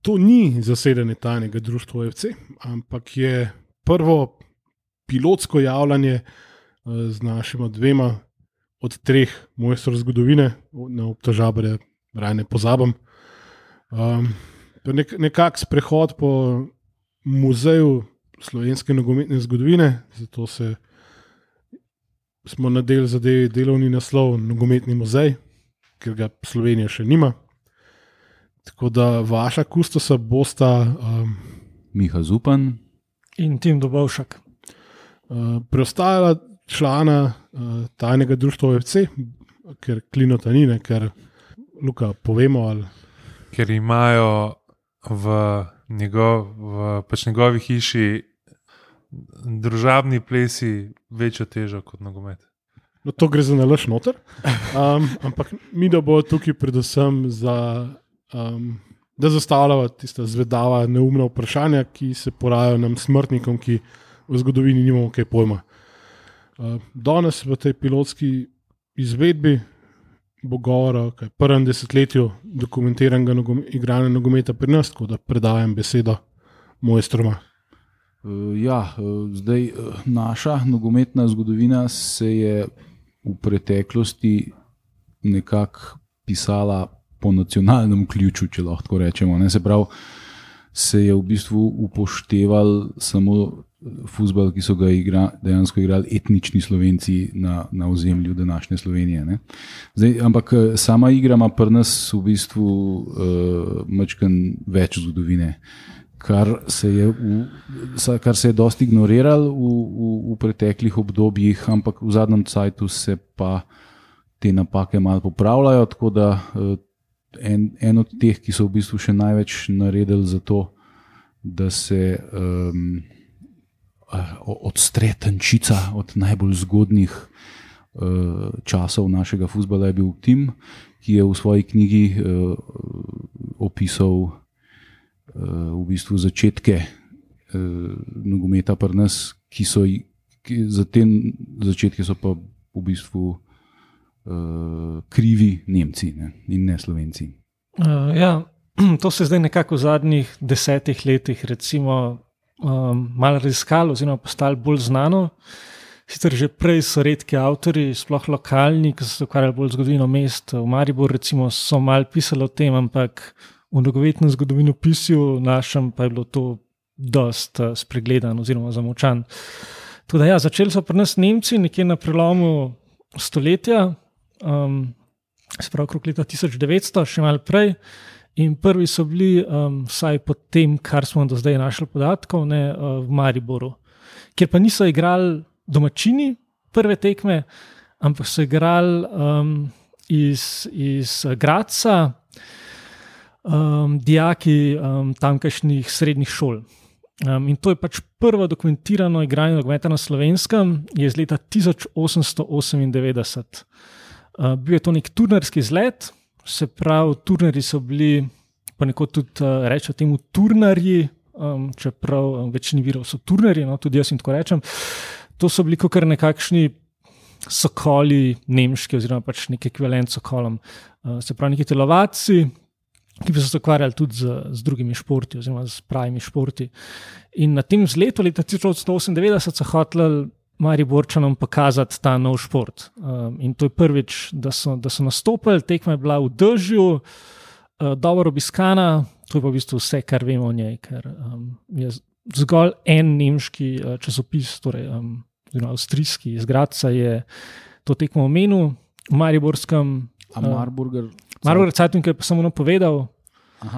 To ni zasedanje tajnega društva OFC, ampak je prvo pilotsko javljanje z našima dvema od 3 mojstrov zgodovine, na obtožabre raje ne pozabim. Nekak sprehod po muzeju slovenske nogometne zgodovine, zato smo nadeli zadevi delovni naslov Nogometni muzej, ker ga Slovenija še nima. Tako da vaša kustosa bosta Miha Zupan in Tim Dobovšak. Preostala člana tajnega društva OFC, ker Klinota ni, ker Luka, povemo ali... Ker imajo v njegovi hiši družabni plesi večjo težo kot nogomet. No, to gre za nalaž noter, ampak mi da bo tukaj predvsem da zastavljava tista zvedava, neumna vprašanja, ki se porajajo nam smrtnikom, ki v zgodovini nimamo kaj pojma. Danes v tej pilotski izvedbi bo govora o prvem desetletju dokumentiranega igranja nogometa pri nas, tako da predajam besedo mojstroma. Zdaj naša nogometna zgodovina se je v preteklosti nekako pisala po nacionalnem ključu, če lahko tako rečemo. Se pravi, se je v bistvu upošteval samo fuzbal, ki so ga dejansko igrali etnični Slovenci na ozemlju današnje Slovenije. Ne? Zdaj, ampak sama igra ima pri nas v bistvu majčkeno več zgodovine, kar se je dosti ignoriralo v preteklih obdobjih, ampak v zadnjem cajtu se pa te napake malo popravljajo, tako da en od teh, ki so v bistvu še največ naredili za to, da se odstre tančica od najbolj zgodnih časov našega fuzbala, je bil Tim, ki je v svoji knjigi opisal v bistvu začetke nogometa pri nas, za te začetke so pa v bistvu krivi Nemci, ne, in ne Slovenci. To se zdaj nekako v zadnjih 10 letih recimo malo raziskalo oziroma postalo bolj znano. Sicer že prej so redki avtorji, sploh lokalni, ki so se ukvarjali bolj zgodovino mest. V Mariboru recimo so malo pisali o tem, ampak v nogometnem zgodovinopisju našem pa je bilo to dosti spregledano oziroma zamolčan. Tako da začeli so pri nas Nemci nekje na prelomu stoletja, se pravi okrog leta 1900, še malo prej. In prvi so bili, vsaj po tem, kar smo do zdaj našli podatkov, v Mariboru, kjer pa niso igrali domačini prve tekme, ampak so igrali iz Gradca dijaki tamkajšnjih srednjih šol. In to je pač prvo dokumentirano igranje nogometa na Slovenskem, je iz leta 1898. Bil je to nek turnirski izlet, se pravi, turnirji so bili, ponekod tudi rečejo temu turnarji, čeprav večini virov so turnirji, tudi jaz jim tako rečem. To so bili kakor nekakšni sokoli nemški oziroma pač nek ekvivalent sokolom. Se pravi, neki telovadci, ki bi se ukvarjali tudi z drugimi športi oziroma z pravimi športi. In na tem zletu leta 1898 so hoteli Mariborčanom pokazati ta nov šport. In to je prvič, da so nastopili, tekma je bila v dežju, dobro obiskana, to je pa v bistvu vse, kar vemo o njej, ker je zgolj en nemški časopis, torej avstrijski iz Gradca je to tekmo omenil, v mariborskem Marburger Zeitung je pa samo napovedal.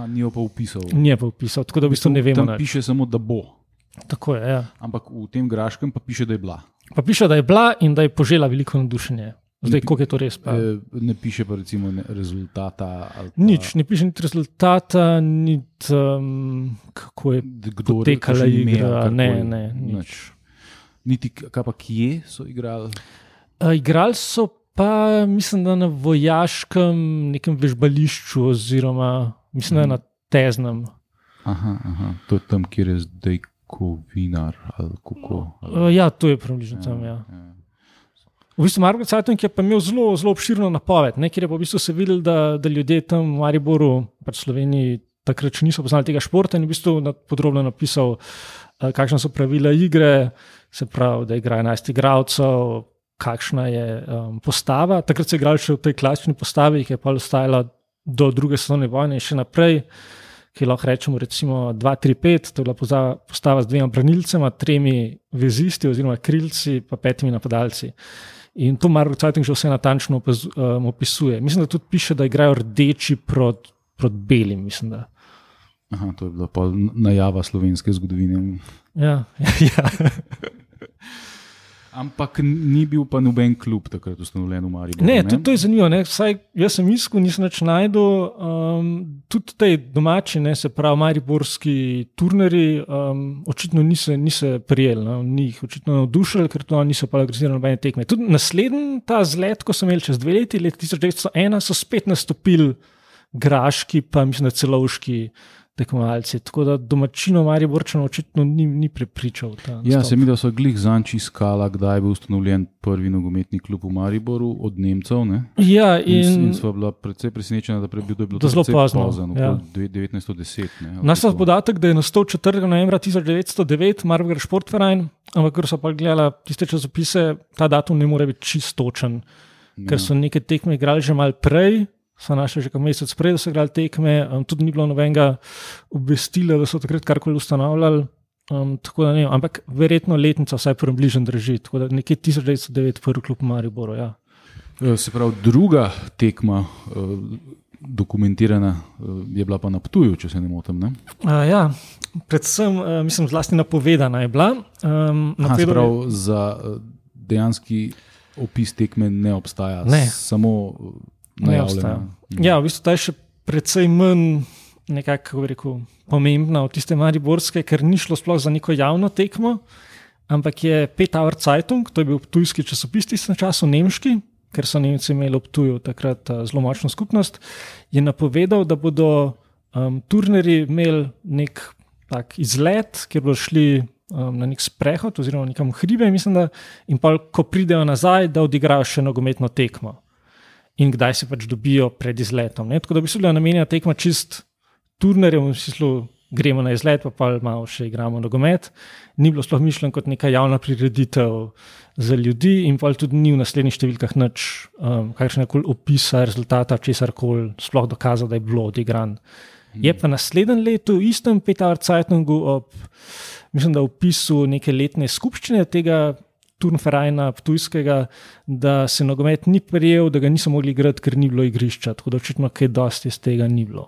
Ni jo pa vpisal. Ni jo pa vpisal, tako da v bistvu ne vemo. Tam piše samo, da bo. Tako je, ja. Ampak v tem graškem pa piše, da je bila. Pa piše, da je bila in da je požela veliko navdušenje. Zdaj, koliko je to res? Pa? Ne piše pa recimo rezultata. Ali pa... Nič, ne piše niti rezultata, niti kako je potekala igra. Ne, nič. Niti kaj pa kje so igrali? Igrali so pa, mislim, da na vojaškem nekem vežbališču oziroma, mislim, da je na Teznem. Aha, to je tam, kjer je zdaj Kovinar ali kako? Ja, to je približno tam, ja. V bistvu Marburger Zeitung je pa imel zelo, zelo obširno napoved, kjer je pa v bistvu se videl, da ljudje tam v Mariboru, pač v Sloveniji, takrat še niso poznali tega športa in v bistvu podrobno napisal, kakšna so pravila igre, se pravi, da igra 11 igralcev, kakšna je postava. Takrat so igrali še v tej klasični postavi, ki je pa ostajala do druge svetovne vojne in še naprej, ki lahko rečemo recimo 2-3-5, to je bila postava z 2 branilcema, 3 vezisti oziroma krilci pa 5 napadalci. In to Marburg Zeitung že vse natančno opisuje. Mislim, da tudi piše, da igrajo rdeči proti belim, mislim da. Aha, to je bila pa najava slovenske zgodovine. Ja. Ampak ni bil pa noben klub takrat ustanovljen v Mariboru. Ne, tudi to je zanimivo. Vsaj jaz sem iskal, nisem več najdel. Tudi tej domači, se pravi mariborski turneri, očitno niso prijeli, ni jih očitno navdušili, ker to niso pa organizirali nobene tekme. Tudi naslednji ta zlet, ko so imeli čez 2 leti, leta 1901, so spet nastopili graški, pa mislim, da celovški tekmovalci. Tako da domačino Mariborčano očitno ni prepričal. Ja, se mi da so glih zanč iskala, kdaj je bil ustanovljen prvi nogometni klub v Mariboru od Nemcev. Ne? Ja, in sva bila precej presenečena, da je bilo to zelo pozno. 1910. Naš podatek, da je nastal 4. novembra 1909 Mariboger Sportverein, ampak ker so pa gledala tiste časopise, ta datum ne more biti čistočen, ker so neke tekme igrali že malo prej, so našli že mesec prej, da so igrali tekme, tudi ni bilo nobenega obvestila, da so takrat karkoli ustanavljali, tako da ne vem, ampak verjetno letnica vsaj približno drži, tako da nekje 1909 prvi klub v Mariboru, ja. Se pravi, druga tekma dokumentirana je bila pa na Ptuju, če se ne motim, ne? Ja, predvsem, mislim, zlasti napovedana je bila. Se pravi, za dejanski opis tekme ne obstaja, samo najavljena. Ja, v bistvu ta je še precej manj nekako, kako bi rekel, pomembna od tiste mariborske, ker ni šlo sploh za neko javno tekmo, ampak je Petaur Zeitung, to je bil ptujski časopis na času nemški, ker so Nemci imeli v Ptuju takrat zelo močno skupnost, je napovedal, da bodo turnerji imeli nek tak izlet, kjer bodo šli na nek sprehod oziroma nekam v hribe, mislim da, in pa ko pridejo nazaj, da odigrajo še nogometno tekmo. In kdaj se pač dobijo pred izletom. Tako da bi se bila namenjena tekma čist turnerjem, v smislu gremo na izlet, pa malo še igramo nogomet. Ni bilo sploh mišljeno kot neka javna prireditev za ljudi in pa tudi ni v naslednjih številkah nič kakšnekoli opisa rezultata, česarkoli sploh dokazal, da je bilo odigran. Je pa naslednjem letu v istem Petaur Zeitungu mislim, da v opisu neke letne skupščine tega Turnvereina ptujskega, da se nogomet ni prijel, da ga niso mogli igrati, ker ni bilo igrišča, tako da očitno kaj dosti iz tega ni bilo.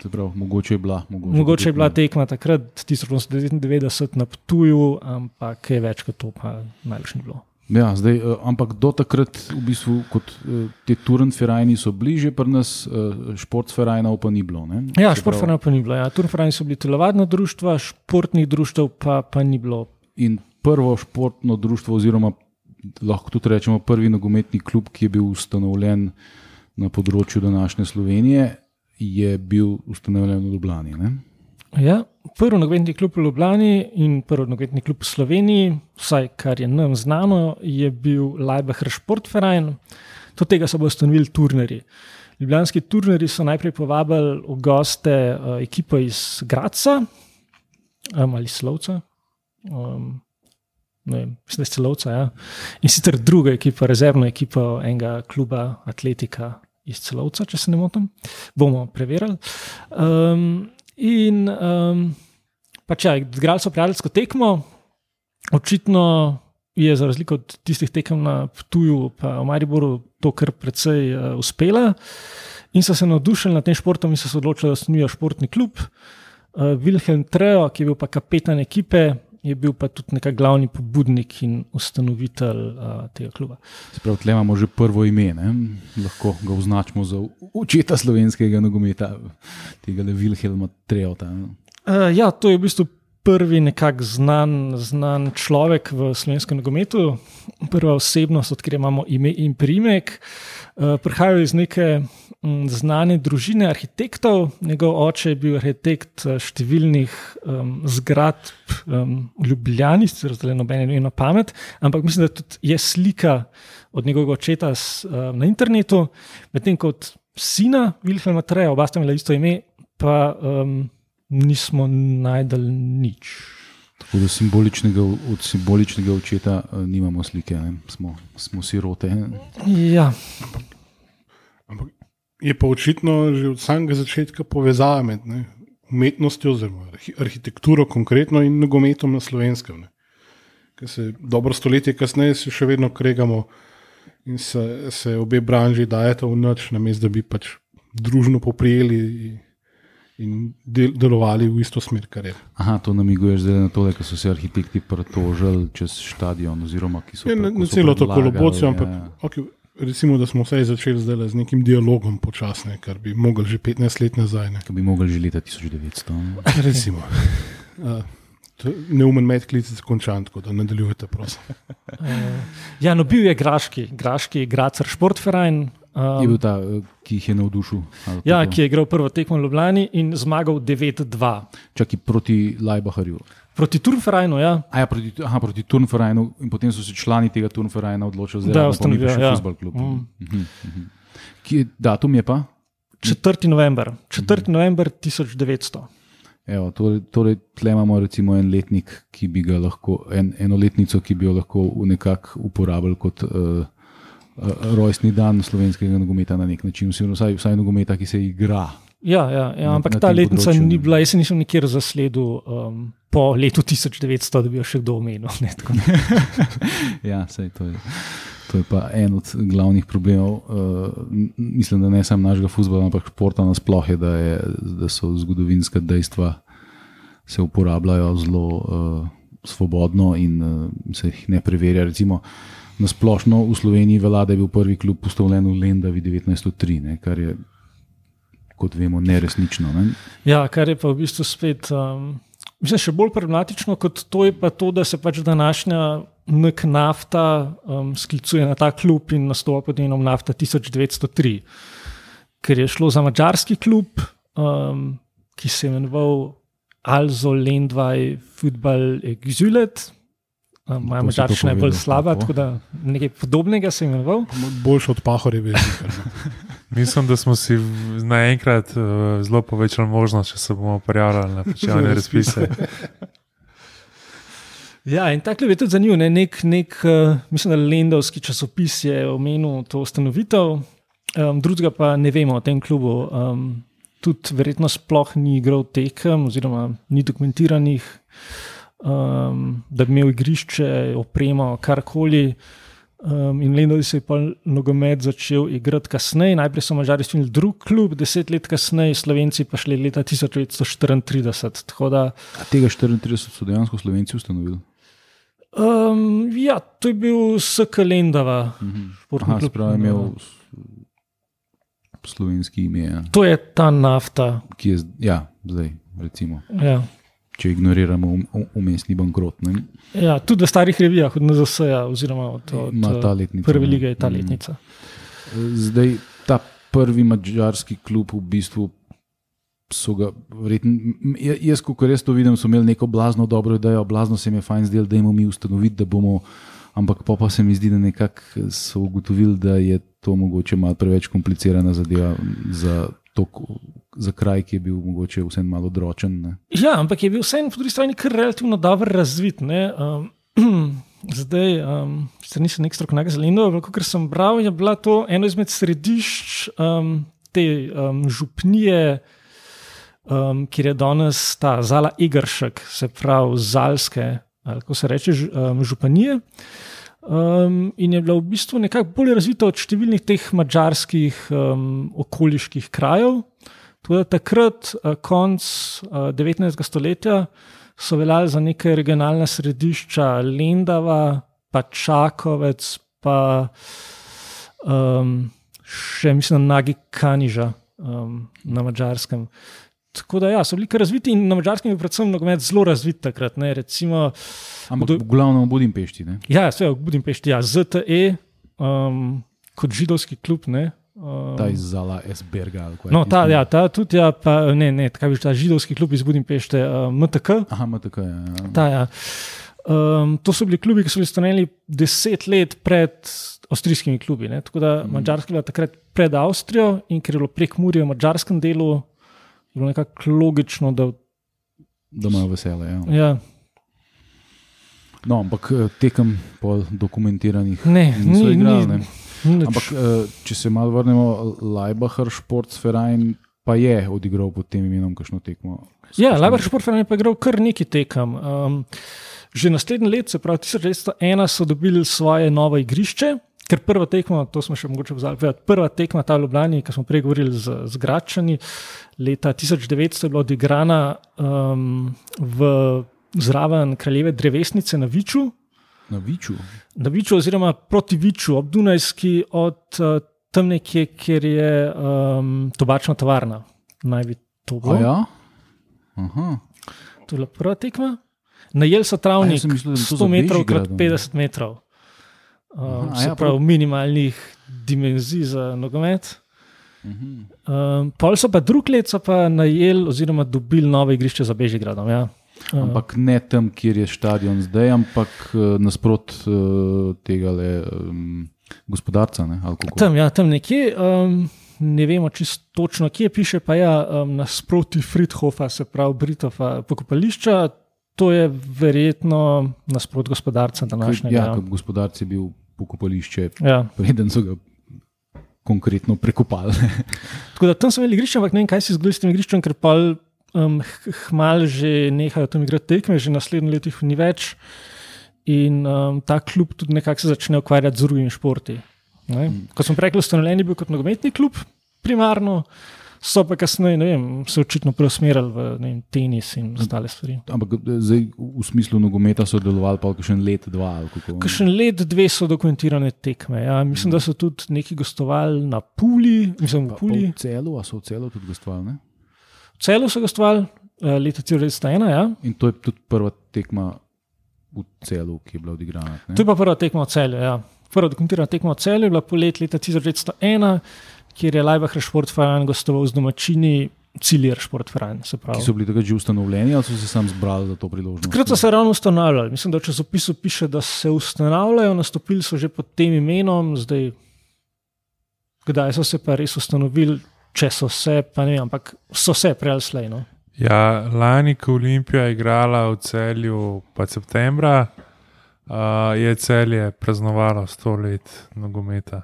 Se pravi, mogoče je bila. Mogoče je bila tekma takrat 1999 na Ptuju, ampak kaj več kot to pa najbolj ni bilo. Ja, zdaj, ampak do takrat v bistvu kot te Turnvereini so bliže pri nas, športvereinov pa ni bilo, ne? Ja, športvereinov pa ni bilo, ja. Turnvereini so bili telovadna društva, športnih društev pa ni bilo. In prvo športno društvo oziroma lahko tudi rečemo prvi nogometni klub, ki je bil ustanovljen na področju današnje Slovenije, je bil ustanovljen v Ljubljani, ne? Ja, prvi nogometni klub v Ljubljani in prvi nogometni klub v Sloveniji, vsaj kar je nam znano, je bil Laibacher Sportverein. Do tega so bodo ustanovili turnerji. Ljubljanski turnerji so najprej povabili v goste ekipo iz Gradca ali Slovca. Ne vem, mislim, da je Celovca, ja. In sicer druga ekipa, rezervna ekipa enega kluba Atletika iz Celovca, če se ne motim. Bomo preverili. Pač ja, igrali so prijateljsko tekmo, očitno je za razliko od tistih tekem na Ptuju pa v Mariboru to kar precej uspela in so se navdušili nad tem športom in so se odločili, da ustanovijo športni klub. Wilhelm Treo, ki je bil pa kapetan ekipe, je bil pa tudi nekak glavni pobudnik in ustanovitelj tega kluba. Se pravi, tle imamo že prvo ime, ne? Lahko ga označimo za očeta slovenskega nogometa, tega Wilhelma Treota. Ja, to je v bistvu prvi nekak znan človek v slovenskem nogometu, prva osebnost, od kjer imamo ime in priimek. Prihajajo iz neke znane družine arhitektov, njegov oče je bil arhitekt številnih zgradb v Ljubljani, zdaj nobene ne vem na pamet, ampak mislim, da tudi je slika od njegovega očeta na internetu, medtem kot sina Wilhelma Treja, oba sta imela isto ime, pa nismo najdel nič. Tako da od simboličnega očeta nimamo slike, ne? Smo sirote. Ja. Ampak je pa očitno že od samega začetka povezava med umetnostjo, oziroma arhitekturo konkretno in nogometom na Slovenskem. Ker se dobro stoletje kasneje se še vedno kregamo in se obe branži dajeta v noč, namesto da bi pač družno poprijeli in delovali v isto smer, kar je. Aha, to namiguješ zdaj na tole, ko so se arhitekti pritožili čez stadion, oziroma ki so na celo to kolobocijo, ampak okay, recimo, da smo vse začeli zdaj z nekim dialogom počasne, kar bi mogli že 15 let nazaj. Kar bi mogli že leta 1900. Recimo. Neumen medklic je končan, tako da nadaljujete, prosim. Ja, no bil je Graški Grazer Sportverein. Je bil ta, ki jih je navdušil. Ja, ki je igral prvo tekmo v Ljubljani in zmagal 9-2. Čaki proti Laibacherju. Proti Turnvereinu, ja. Proti Turnvereinu in potem so se člani tega Turnvereina odločili, da je še futbol klub. Datum je pa? 4. november 1900. Evo, torej, tle imamo recimo en letnik, ki bi ga lahko, eno letnico, ki bi jo lahko nekako uporabili kot rojstni dan slovenskega nogometa na nek način, vsaj nogometa, ki se igra. Ja, ampak ta letnica ni bila, jaz se nisem nikjer zasledil po letu 1900, da bi jo še kdo omenil. Ja, sej to je pa en od glavnih problemov. Mislim, da ne samo našega fuzbola, ampak športa nasploh je, da so zgodovinska dejstva se uporabljajo zelo svobodno in se jih ne preverja. Recimo, nasplošno v Sloveniji velja, da je bil prvi klub postavljen v Lendavi 1903, kar je, kot vemo, neresnično. Ne? Ja, kar je pa v bistvu spet mislim, še bolj problematično kot to je pa to, da se pač današnja NK Nafta sklicuje na ta klub in nastopa pod imenom Nafta 1903, ker je šlo za madžarski klub, ki se je imenoval Also Lendvaj Futbal Exulet. Moja madžarščina je bolj slaba, tako da nekaj podobnega se je imenoval. Boljši od Pahorjeve. Mislim, da smo si naenkrat zelo povečali možnost, če se bomo prijavljali na plačilne razpise. Ja, in ta klub je tudi zanimiv. Mislim, da Lendavski časopis je omenil to ustanovitev, drugega pa ne vemo o tem klubu. Tudi verjetno sploh ni igral tekem oziroma ni dokumentiranih, da bi imel igrišče, opremo, karkoli. In Lendavi se je pa nogomet začel igrati kasneje. Najprej so Madžari stvorili drug klub, 10 let kasneje, Slovenci pa šli leta 1934. Tega 34 so dejansko Slovenci ustanovili? Ja, to je bil SK Lendava. Spravo je imel slovenski ime. Ja. To je ta Nafta. Ki je, zdaj, recimo. Ja. Če ignoriramo umestni bankrot. Ne? Ja, tudi v starih revijah od NZS-ja oziroma od prve lige je ta letnica. Zdaj, ta prvi madžarski klub v bistvu so ga verjetno, jaz, kakor jaz to vidim, so imeli neko blazno dobro idejo, blazno se mi je fajn zdel, da imamo mi ustanoviti, da bomo, ampak pa se mi zdi, da nekako so ugotovili, da je to mogoče malo preveč komplicirana zadeva za kraj, ki je bil mogoče vsem malo odročen. Ne? Ja, ampak je bil vsem po drugi strani kar relativno dobro razvit. Zdaj, nisem nek strokovnjak za Lendavo, kot sem bral, je bila to eno izmed središč te župnije, kjer je danes ta Zala Egeršek, se pravi Zalske, ali kako se reče, županije. In je bila v bistvu nekako bolj razvita od številnih teh madžarskih okoliških krajev. Tudi takrat, konc 19. stoletja, so veljali za neke regionalna središča Lendava, pa Čakovec, pa še mislim Nagi Kaniža na Madžarskem. Tako da so bili kar razviti in na Madžarskem je predvsem nogomet zelo razvit takrat. Ne, recimo, ampak v glavnem v Budimpešti, ne? Ja, v Budimpešti, ZTE, kot židovski klub, ne. Ta iz Zala Esberga. No, ta tudi, pa ne, tako je ta židovski klub iz Budimpešte, MTK. Aha, MTK, ja. Ta, ja. To so bili klubi, ki so bili ustanovljeni 10 let pred avstrijskimi klubi, ne. Tako da Madžarska je bila takrat pred Avstrijo in ker je bilo Prekmurje v madžarskem delu, je bilo nekako logično, da imajo veselje. Ja. Ja. No, ampak tekem pol dokumentiranih niso igrali. Ne? Ampak če se malo vrnemo, Leibacher Sportverein pa je odigral pod tem imenom kakšno tekmo. Ja, Leibacher Sportverein je pa igral kar neki tekem. Že naslednje leto, se pravi 1901, so dobili svoje novo igrišče, ker prva tekma, to smo še mogoče vzali, prva tekma ta v Ljubljani, ki smo prej govorili z Gradčani, leta 1900 je bila odigrana zraven Kraljeve drevesnice na Viču. Na Viču? Na Viču oziroma proti Viču, ob Dunajski, od tam nekje, kjer je tobačna tovarna. Naj bi to bilo. Ja? Aha. To je bila prva tekma. Najeli so travnik 100 metrov krat 50 metrov. Se pravi minimalnih dimenzij za nogomet. Pol so pa drug let so pa najeli oziroma dobili novo igrišče za Bežigradom. Ja. Ampak ne tam, kjer je stadion zdaj, ampak nasprot tega gospodarca. Ne? Tam nekje, ne vemo čisto točno, kje piše, pa ja, nasproti Friedhofa, se pravi Britova pokopališča, to je verjetno nasprot gospodarca današnjega. Ja, gospodarc je bil pokopališče, preden so ga konkretno prekopali. Tako da tam so imeli igrišče, ampak ne vem, kaj si zgodili s tem igriščem, ker pa hmal že nehajo tam igrati tekme, že naslednje leto jih ni več in ta klub tudi nekako se začne ukvarjati z drugimi športi. Ko smo rekli, ustanovljen je bil kot nogometni klub primarno, so pa kasneje, ne vem, se očitno preusmerili v tenis in ostale stvari. Ampak zdaj v smislu nogometa so delovali pa kakšen let, dva ali kako? Kakšen let, dve so dokumentirane tekme. Ja. Mislim, da so tudi neki gostovali na Puli, mislim v Puli. Pa v Celu, a so v Celu tudi gostovali, ne? V Celu so gostovali leta 1901, ja. In to je tudi prva tekma v Celu, ki je bila odigrana. Ne? To je pa prva tekma v Celju, ja. Prva dokumentirana tekma v Celju je bila poleti leta 1901, kjer je Leibacher Sportverein gostoval z domačini Ciljer Sportverein. Ki so bili takrat že ustanovljeni ali so se sam zbrali za to priložnost? Takrat so se ravno ustanavljali. Mislim, da v časopisu piše, da se ustanavljajo, nastopili so že pod tem imenom, zdaj kdaj so se pa res ustanovili, če so se, pa ne vem, ampak so se prej ali slej. No? Ja, lani, ko Olimpija igrala v Celju pa septembra, je Celje praznovalo 100 let nogometa.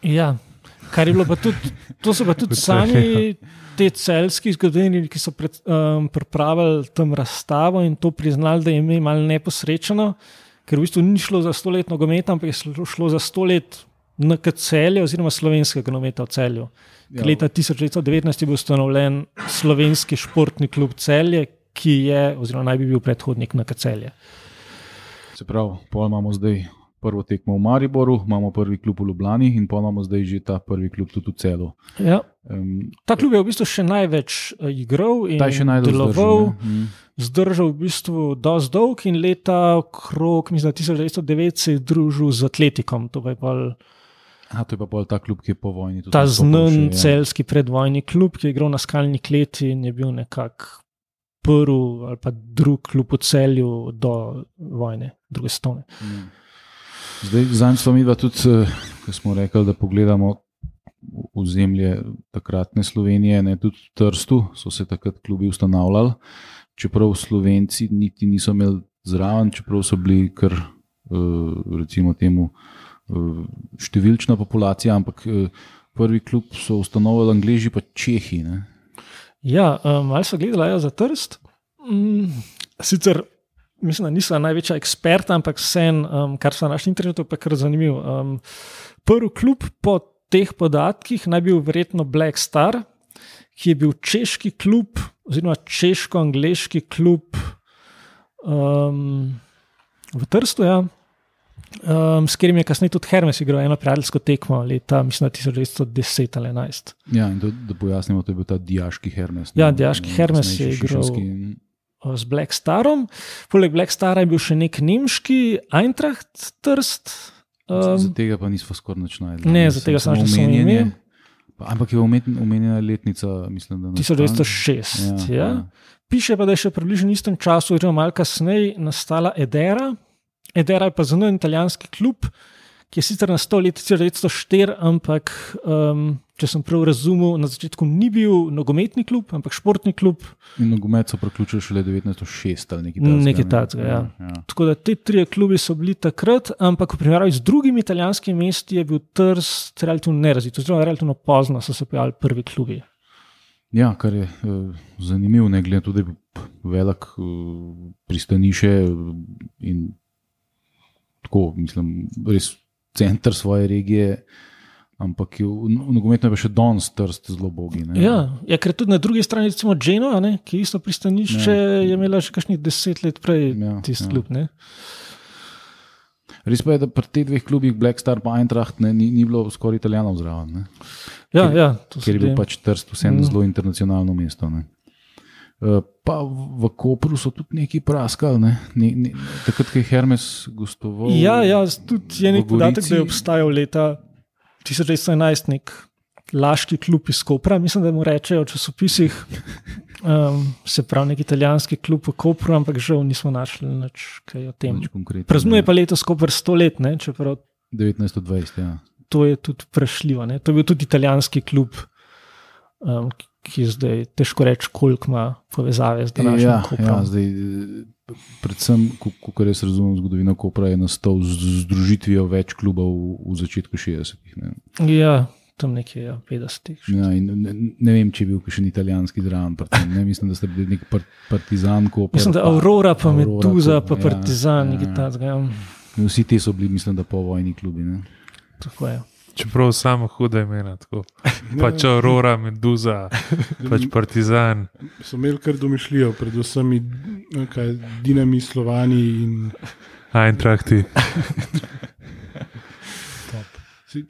Ja, kar je bilo pa tudi, to so pa tudi sami te celjski zgodovinarji, ki so pripravili tam razstavo in to priznali, da je ime malo neposrečeno, ker v bistvu ni šlo za 100 let nogometa, ampak je šlo za 100 let NK Celje oziroma slovenskega nogometa v Celju. Ja. Leta 1919 je bil ustanovljen slovenski športni klub Celje, ki je oziroma naj bi bil predhodnik NK Celje. Se pravi, pol imamo zdaj prvo tekmo v Mariboru, imamo prvi klub v Ljubljani in pol imamo zdaj že ta prvi klub tudi v Celu. Ja. Ta klub je v bistvu še največ igral in deloval, zdržal v bistvu dosti dolg in leta okrog, mislim, 1909 se je družil z Atletikom. To je pa pol ta klub, ki je po vojni. Ta znan celjski predvojni klub, ki je igral na Skalni kleti in je bil nekako prvi ali pa drug klub v Celju do vojne, druge svetovne. Zdaj, zanj smo midva tudi, ko smo rekli, da pogledamo ozemlje takratne Slovenije, ne, tudi v Trstu so se takrat klubi ustanavljali, čeprav Slovenci niti niso imeli zraven, čeprav so bili kar, recimo temu, številčna populacija, ampak prvi klub so ustanovili Angleži pa Čehi. Ne? Ja, malo so gledali za Trst. Sicer mislim, da nisem največja eksperta, ampak vsem, kar so na našem internetu, pa je kar zanimivo. Prvi klub po teh podatkih naj bil verjetno Black Star, ki je bil češki klub, oziroma češko-angleški klub v Trstu, ja. S katerim je kasneje tudi Hermes igral eno prijateljsko tekmo leta, mislim, 1910 ali 11. Ja, in da pojasnimo, to je bil ta dijaški Hermes. Ja, dijaški Hermes je igral z Black Starom. Poleg Black Stara je bil še nek nemški Eintracht Trst. Za tega pa nismo skoraj nič našli. Ne, za tega sem našel samo ime. Ampak je omenjena letnica, mislim, da 1906. Ja. Piše pa, da je še približno istem času, oziroma malo kasneje, nastala Edera. Edera je pa zelo italijanski klub, ki je sicer nastal leta 1904, ampak če sem prav razumel, na začetku ni bil nogometni klub, ampak športni klub. In nogomet so priključili šele 1906 ali nekaj takega. Ja. Tako da te 3 klubi so bili takrat, ampak v primerjavi z drugimi italijanskimi mesti je bil Trst relativno nerazvit, oziroma relativno pozno so se pojavili prvi klubi. Ja, kar je zanimivo, ne glede tudi velik pristanišče in tako, mislim, res center svoje regije, ampak v nogometno je pa še danes Trst zelo bogi. Ja, ker tudi na drugi strani recimo Genoa, ki je isto pristanišče, je imela že kakšnih 10 let prej tisti klub. Ne? Res pa je, da pri teh 2 klubih Black Star pa Eintracht ni bilo skoraj Italijanov zraven. Ker je bil pač Trst vsem zelo internacionalno mesto. Ne? Pa v Kopru so tudi neki praskali, takrat, ko je Hermes gostoval. Ja, tudi je nek podatek, da je obstajal leta 1911 nek laški klub iz Kopra, mislim, da mu rečejo v časopisih, se pravi nek italijanski klub v Kopru, ampak žal nismo našli nič kaj o tem. Praznuje pa letos Koper 100 let, čeprav 1920, ja. To je tudi vprašljivo. To je bil tudi italijanski klub, ki je zdaj težko reči, koliko ima povezave z današnjim Koprom. Ja, zdaj, predvsem, ko res razumem zgodovino Kopra, je nastal z združitvijo več klubov v začetku 60-ih. Ja, tam nekje 50-ih. Ja, in ne vem, če je bil še italijanski zraven. Mislim, da ste bili nek Partizan Koper. Mislim, da Aurora, pa Meduza, pa Partizan. Vsi te so bili, mislim, da povojni klubi. Tako je. Čeprav samo huda imena, tako. Pač Aurora, Meduza, pač Partizan. So imeli kar domišljijo, predvsem Dinami, Slovani in Eintrachti.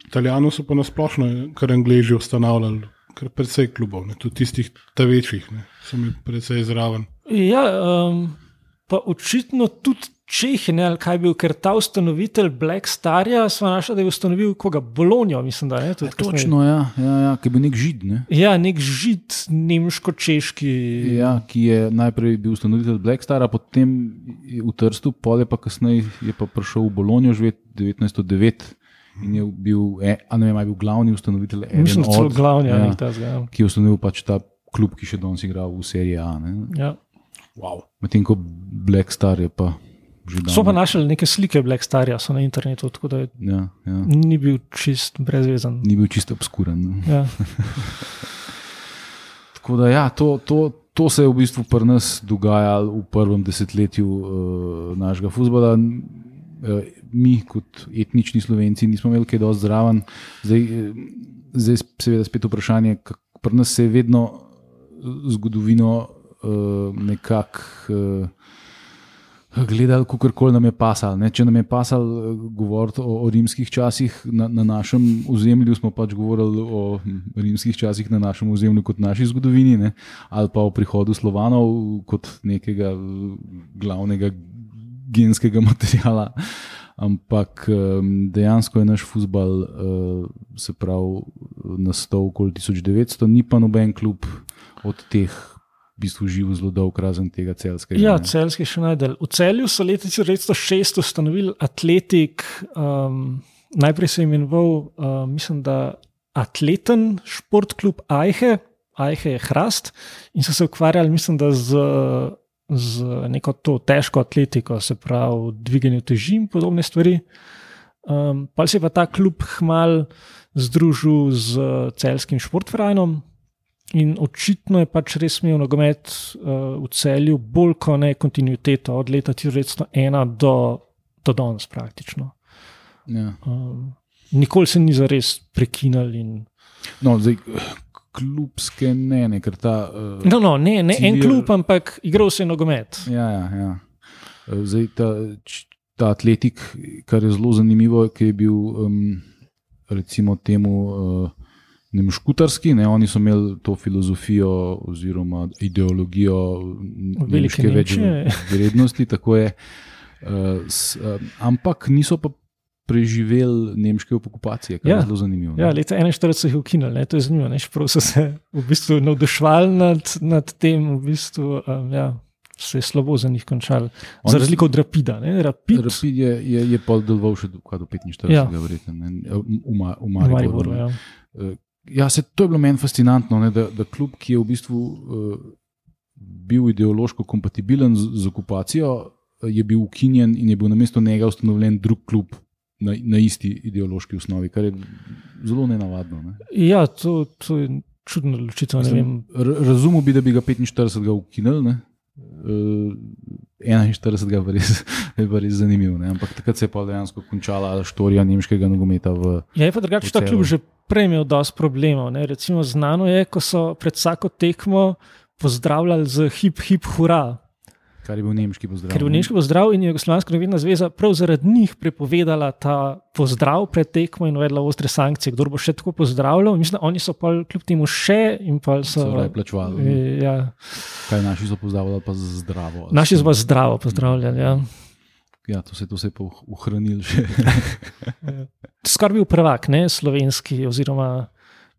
Italijano so pa nasplošno kar Angleži ustanavljali, kar precej klubov, tudi tistih ta večjih, so mi precej zraven. Ja, pa očitno tudi Čehi, ali kaj bil, ker ta ustanovitelj Black Starja smo našli, da je ustanovil koga? Bologno, mislim, da ne. Točno, ja, ki je bil nek žid, ne? Ja, nek žid, nemško-češki. Ja, ki je najprej bil ustanovitelj Black Stara, potem v Trstu, pol je pa kasneje je pa prišel v Bologno živeti 1909 in je bil, je bil glavni ustanovitelj mislim, celo glavni, ki je ustanovil pač ta klub, ki še danes igra v seriji A. Ja. Wow. Medtem ko Black Star je pa so pa našli neke slike Black Starja so na internetu, tako da ni bil čist brezvezen. Ni bil čist obskuren. Ja. Tako da to se je v bistvu pri nas dogajalo v prvem desetletju našega fuzbala. Mi kot etnični Slovenci nismo imeli kaj dosti zraven. Zdaj seveda spet vprašanje, pri nas se je vedno zgodovino nekako gledali, kakorkoli nam je pasalo. Če nam je pasalo govoriti o rimskih časih na našem ozemlju, smo pač govorili o rimskih časih na našem ozemlju kot naši zgodovini, ali pa o prihodu Slovanov kot nekega glavnega genskega materiala. Ampak dejansko je naš fuzbal se pravi nastal okoli 1900, ni pa noben klub od teh v bistvu živel zelo dolg, razen tega Celjskega. Ja, Celjski še najdel. V Celju so leta 1906 ustanovili Atletik, najprej se je imenoval, mislim, da Atleten športklub Ajhe je Hrast in so se ukvarjali, mislim, da z neko to težko atletiko, se pravi dviganju teži in podobne stvari. Pa se je pa ta klub hmal združil z Celjskim športfrajnom. In očitno je pač res imel nogomet v Celju bolj kot ne kontinuiteto od leta 1901 do danes praktično. Ja. Nikoli se ni zares prekinal. No, zdaj klubske ne, ker ta... Ne en klub, ampak igral se je nogomet. Ja. Zdaj ta Atletik, kar je zelo zanimivo, ki je bil recimo temu... nemškutarski, oni so imeli to filozofijo oziroma ideologijo nemške večvrednosti, tako je, ampak niso pa preživeli nemške okupacije, kar je zelo zanimivo. Ja, leta 1941 so jih ukinili, to je zanimivo, čeprav so se v bistvu navduševali nad tem, v bistvu, se je slabo za njih končal. Za razliko od Rapida. Rapid je pol deloval še do 45, verjetno, v Mariboru. Ja, to je bilo meni fascinantno, ne, da klub, ki je v bistvu bil ideološko kompatibilen z okupacijo, je bil ukinjen in je bil namesto njega ustanovljen drug klub na isti ideološki osnovi, kar je zelo nenavadno. Ne. Ja, to je čudno odločitev. Razumel bi, da bi ga 45 ukinili, ne. 41 je pa res zanimiv, ne. Ampak takrat se je pa dejansko končala štorija nemškega nogometa v je pa drugače ta klub že prej imel dosti problemov. Ne. Recimo znano je, ko so pred vsako tekmo pozdravljali z hip, hip, hurra. Kar je bil nemški pozdrav. Ker je bil nemški pozdrav in je Jugoslovanska nogometna zveza prav zaradi njih prepovedala ta pozdrav pred tekmo in uvedla ostre sankcije. Kdor bo še tako pozdravljal, mislim, da oni so pa kljub temu še in pa so raje plačevali. Ja. Kaj naši so pozdravljali pa zdravo? Naši so pa zdravo pozdravljali, ja. Ja, to se je pa ohranil še. Skoraj bil prvak, ne, slovenski oziroma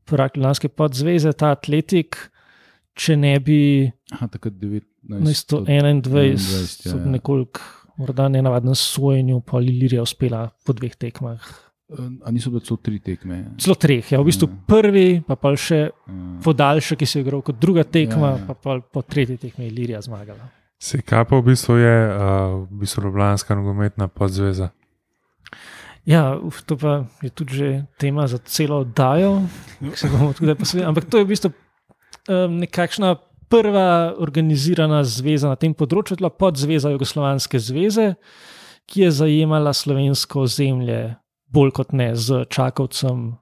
prvak Ljubljanske podzveze, ta Atletik, če ne bi takrat 1921 so nekoliko morda nenavadnem sojenju pa Ilirija uspela po 2 tekmah. A niso bile celo 3 tekme? Celo 3, ja. V bistvu prvi, pa še podaljšek, ki se je igral kot druga tekma, pa po 3. tekmi Ilirija zmagala. Kaj pa v bistvu je Ljubljanska nogometna podzveza? Ja, to pa je tudi že tema za celo oddajo, ampak to je v bistvu nekakšna prva organizirana zveza na tem področju, bila podzveza Jugoslovanske zveze, ki je zajemala slovensko ozemlje bolj kot ne z Čakovcem.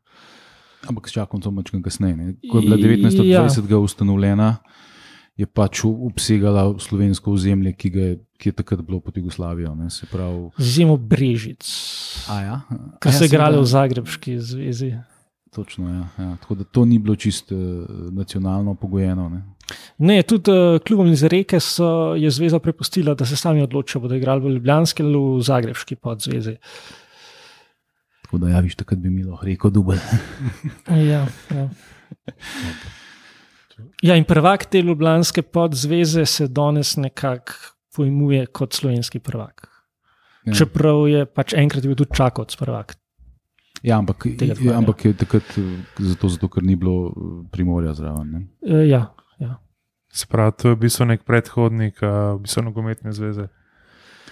Ampak s Čakovcem mačkam kasneje. Ko je bila 1920 ustanovljena, je pač obsegala slovensko ozemlje, ki je takrat bilo pod Jugoslavijo. Se pravi... Z izjemo Brežic, ki so igrali v Zagrebški zvezi. Točno, ja. Tako da to ni bilo čisto nacionalno pogojeno. Ne, tudi klubom iz Reke je zveza prepustila, da se sami odločijo, bodo igrali v Ljubljanski ali v Zagrebški podzvezi. Tako da viš, takrat bi mi lahko rekel dubelj. Ja. Ja, in prvak te Ljubljanske podzveze se danes nekako pojmuje kot slovenski prvak. Ja. Čeprav je pač enkrat bil tudi Čakovec prvak. Ja, ampak je takrat zato, ker ni bilo Primorja zraven. Ne? Ja. Se pravi, to je v bistvu nek predhodnik nogometne zveze.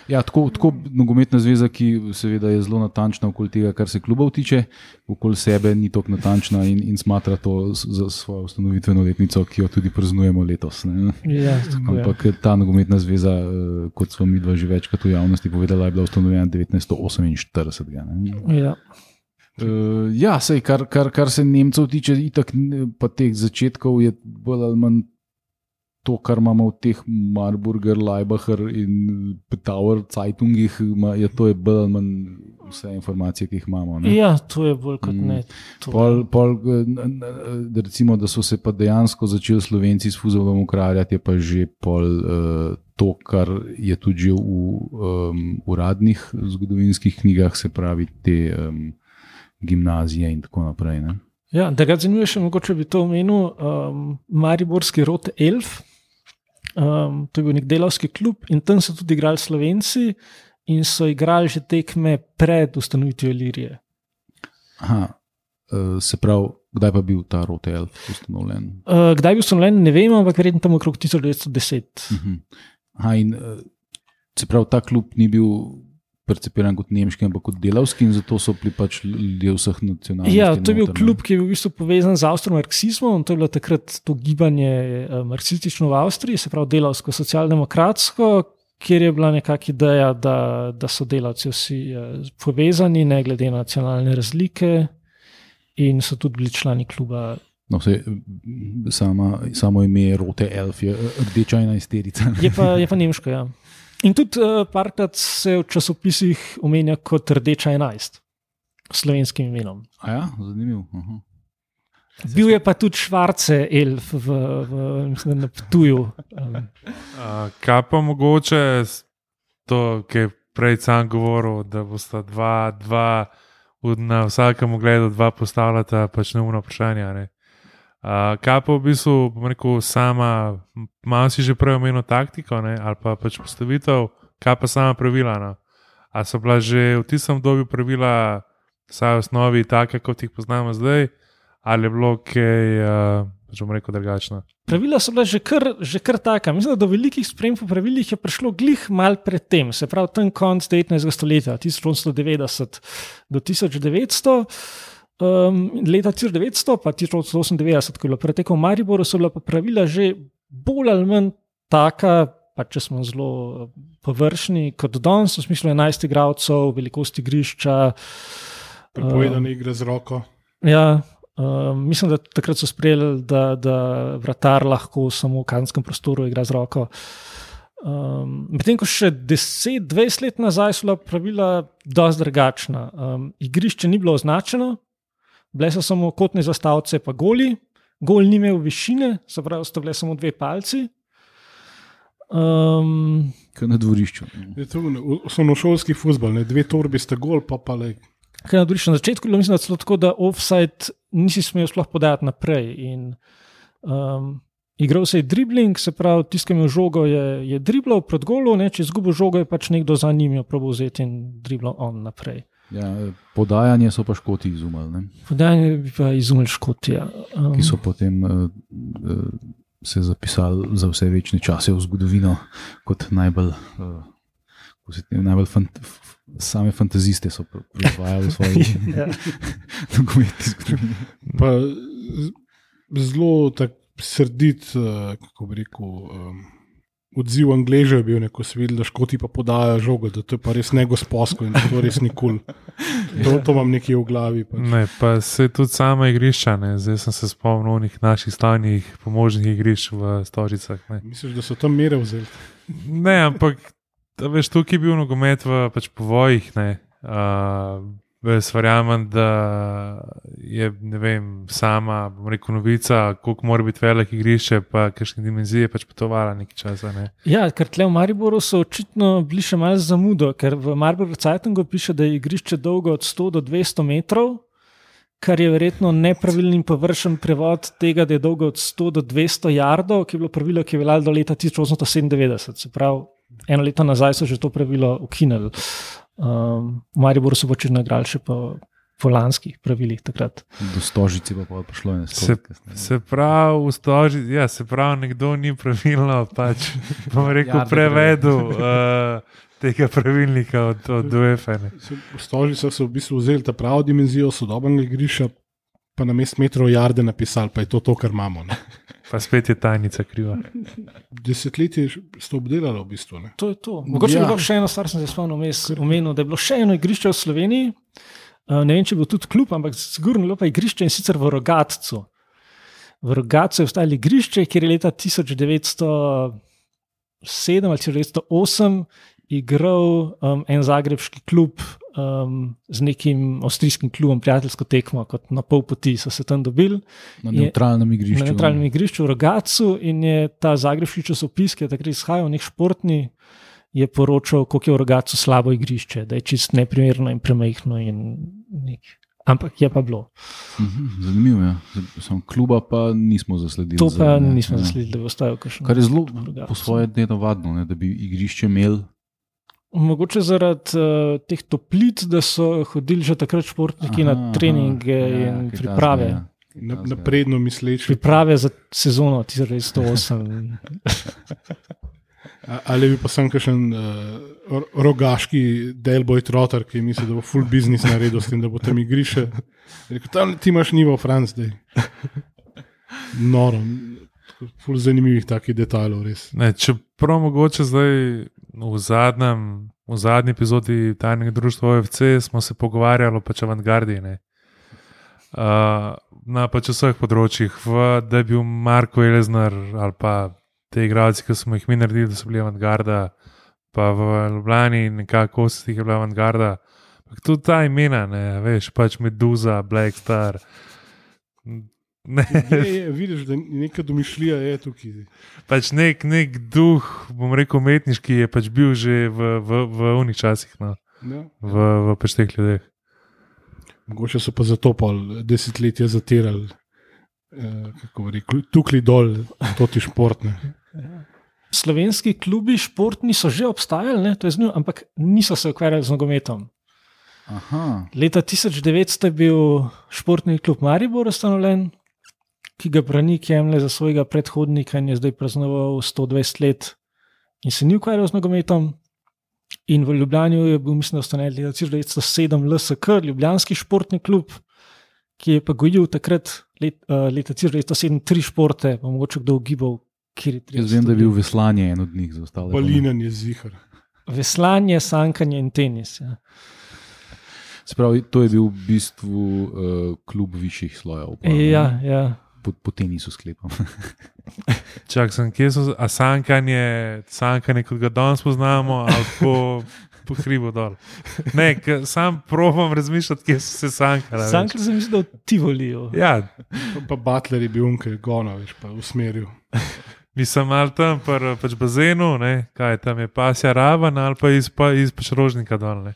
Ja, tako nogometna zveza, ki seveda je zelo natančna okoli tega, kar se klubov tiče, okoli sebe ni tako natančna in smatra to za svojo ustanovitveno letnico, ki jo tudi praznujemo letos. Ja, ampak ta nogometna zveza, kot smo mi dva že večkrat v javnosti povedala, je bila ustanovljena 1948. Ne? Ja. Ja, sej, kar se Nemcev tiče, itak pa teh začetkov je bolj ali manj to, kar imamo v teh Marburger, Leibacher in Petauer Zeitungih, to je bolj ali manj vse informacije, ki jih imamo. Ne? Ja, to je bolj kot ne. Recimo, da so se pa dejansko začeli Slovenci s Fuzolom ukvarjati, je pa že to, kar je tudi že v uradnih zgodovinskih knjigah, se pravi te gimnazije in tako naprej. Ne? Ja, da ga zanimuje še mogoče bi to omenil, mariborski Rote Elf, to je bil nek delavski klub in tam so tudi igrali Slovenci in so igrali že tekme pred ustanovitvijo Ilirije. Se pravi, kdaj pa bil ta Rote Elf ustanovljen? Kdaj je bil ustanovljen, ne vem, ampak verjetno tam okrog 1910. In se pravi, ta klub ni bil percepiran kot nemški, ampak kot delavski in zato so bili pač ljudje vseh nacionalnosti. Ja, to je bil klub, ki je bil v bistvu povezan z avstromarksizmom, to je bilo takrat to gibanje marksistično v Avstriji, se pravi delavsko, socialdemokratsko, kjer je bila nekakšna ideja, da so delavci vsi povezani, ne glede na nacionalne razlike in so tudi bili člani kluba. No, samo ime Rote Elf je rdeča 11-terica. Je pa nemško, ja. In tudi parkrat se v časopisih omenja kot Rdeča 11 s slovenskim imenom. Ja, zanimivo. Bil je pa tudi Švarce Elf na Ptuju. Kaj pa mogoče to, ki je prej sam govoril, da bosta dva na vsakem ogledu dva postavljata pač neumno vprašanje. Kaj pa v bistvu, bom rekel, sama, malo si že prej omenil taktiko, ne, ali pa pač postavitev, kaj pa sama pravila. No? A so bila že v tistem obdobju pravila, vsaj v osnovi, take, kot jih poznamo zdaj, ali je bilo kaj, bom rekel, drugačno? Pravila so bila že kar taka. Mislim, da do velikih sprememb v pravilih je prišlo glih mal predtem, se pravi ten konc 19. stoletja, 1890 do 1900. Leta 1900 pa 1898, ko je bilo pretekel v Mariboru, so bila pa pravila že bolj ali manj taka, pa če smo zelo površni, kot danes, v smislu 11 igralcev, velikosti igrišča. Prepovedane igre z roko. Ja, mislim, da takrat so sprejeli, da vratar lahko samo v kazenskem prostoru igra z roko. Medtem ko še 10-20 let nazaj so bila pravila dosti drugačna. Igrišče ni bilo označeno, bile so samo kotne zastavce pa goli, gol ni imel višine, se pravi, sta bile samo 2 palci. Kaj na dvorišču. Osnovnošolski fuzbal, 2 torbi sta gol, pa le. Kaj na dvorišču. Na začetku je mislim, da celo tako, da offside nisi smel sploh podajati naprej. In igral se je dribling, se pravi, tiskal je žogo, je driblal proti golu, če je izgubil žogo, je pač nekdo za njim probil vzeti in driblal on naprej. Ja, podajanje so pa Škoti izumili. Ne? Podajanje bi pa izumili Škoti, ja. Ki so potem se zapisali za vse večne čase v zgodovino kot najbolj same fantaziste so proizvajali v svoji nogometni zgodovini. Pa zelo tak srdit, kako bi rekel, odziv Angležev je bil, ko so videli, da Škoti pa podajajo žogo, da to je pa res negosposko in da to res ni kul. To imam nekje v glavi. Pač. Ne, pa se tudi sama igrišča, ne. Zdaj sem se spomnil onih naših stanjih pomožnih igrišč v Stožicah. Ne. Misliš, da so tam mere vzeli? Ne, ampak veš, tukaj je bil nogomet v pač povojih, ne. Jaz verjamem, da je, ne vem, sama, bom rekel, novica, koliko mora biti velik igrišče, pa kakšne dimenzije pač potovala nekaj časa. Ne. Ja, ker tle v Mariboru so očitno bili še malo zamudo, ker v Mariboru Zeitungu piše, da je igrišče dolgo od 100 do 200 metrov, kar je verjetno nepravilni in površen prevod tega, da je dolgo od 100 do 200 jardov, ki je bilo pravilo, ki je veljalo do leta 1897. Se pravi, 1 leto nazaj so že to pravilo ukinili. V Mariboru so početno igrali še po lanskih pravilih takrat. Do Stožice pa prišlo je se pravi, v Stožici, ja, se pravi, nekdo ni pravilno pač, bom rekel, prevedel tega pravilnika od UEFA. V Stožicah so v bistvu vzeli ta pravo dimenzijo sodobnega igrišča, pa na mest metrov jarde napisali, pa je to, kar imamo. Ne? Pa spet je tajnica kriva. Desetletje ste obdelali v bistvu. Ne? To je to. Mogoče je bilo še eno stvar, sem se spomnil, da je bilo še eno igrišče v Sloveniji. Ne vem, če je bil tudi klub, ampak sigurno je bilo pa igrišče in sicer v Rogatcu. V Rogatcu je ostalo igrišče, kjer je leta 1907 ali 1908 igral en zagrebški klub z nekim avstrijskim klubom, prijateljsko tekmo, kot na pol poti so se tam dobili. Na nevtralnem igrišču. Na nevtralnem igrišču v Rogatcu in je ta zagrebški časopis, ki je takrat izhajal, nek športni, je poročal, koliko je v Rogatcu slabo igrišče, da je čist neprimerno in premajhno in nek. Ampak je pa bilo. Zanimivo je. Ja. Kluba pa nismo zasledili. To pa nismo zasledili, da bi ostajal kakšen. Kar je zelo po svoje nenavadno, da bi igrišče imeli. Mogoče zaradi teh toplic, da so hodili že takrat športniki na treninge in priprave. Napredno misleči. Priprave za sezono 1908. Ali bi pa sem kakšen rogaški Delboy Trotter, ki misli, da bo full business naredil s tem, da bo tam igrišče. Tam ti imaš nivo Franc zdaj. Noro. Ful zanimivih takih detajlov, res. Čeprav mogoče zdaj v zadnji epizodi Tajnega društva OFC smo se pogovarjali pač o avantgardi. Na pač vseh področjih, da je bil Marko Eleznar ali pa te igralci, ki smo jih mi naredili, da so bili avantgarda, pa v Ljubljani nekako se tih je bila avantgarda. Tudi ta imena, veš, pač Meduza, Black Star. Vidiš, da neka domišljija je tukaj. Pač nek duh, bom rekel, umetniški je pač bil že v unih časih, no. v pač teh ljudeh. Mogoče so pa zato pol desetletja zatirali kako bi rekel, tukli dol, to ti športne. Slovenski klubi športni so že obstajali, ne? To je zanimivo, ampak niso se ukvarjali z nogometom. Aha. Leta 1900 je bil športni klub Maribor ustanovljen, ki ga Branik jemlje za svojega predhodnika in je zdaj praznoval 120 let in se ni ukvarjal z nogometom. In v Ljubljani je bil, mislim, ustanovljen leta 1907 LSK, Ljubljanski športni klub, ki je pa gojil takrat leta 1907 3 športe, pa mogoče kdo ugibal, kjer je 30. Jaz vem, da je bil veslanje en od njih za ostale. Balinen je zihar. Veslanje, sankanje in tenis. Ja. Spravi, to je bil v bistvu klub višjih slojev. Ja. Po tenisu sklepam. Čak sem, kje so, a sankanje, kot ga danes poznamo, ali po hribu dol. Ne, sam probam razmišljati, kje so se sankali. Sankali sem mislil, da v Tivoliju. Ja, Pa Butler je bil unke gona, veš, pa usmeril. mislim, ali tam pač bazenu, ne, kaj tam je pasja raven, ali pa iz pač Rožnika dol, ne.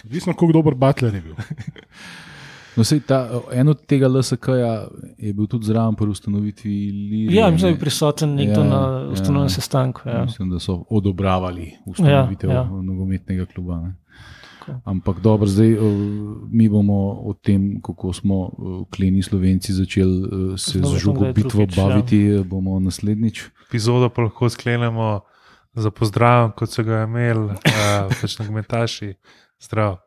Odvisno, koliko dober Butler je bil. No, sej, en od tega LSK-ja je bil tudi zraven pri ustanovitvi Ilirije. Ja, mislim, da je bil prisoten nekdo na ustanovnem sestanku. Ja. Mislim, da so odobravali ustanovitev nogometnega kluba. Ne. Ampak dobro, zdaj mi bomo o tem, kako smo kleni Slovenci začeli se z žogobitvo baviti, bomo naslednjič. Epizodo pa lahko sklenemo za pozdrav, kot so ga imeli pač nogometaši. Zdrav.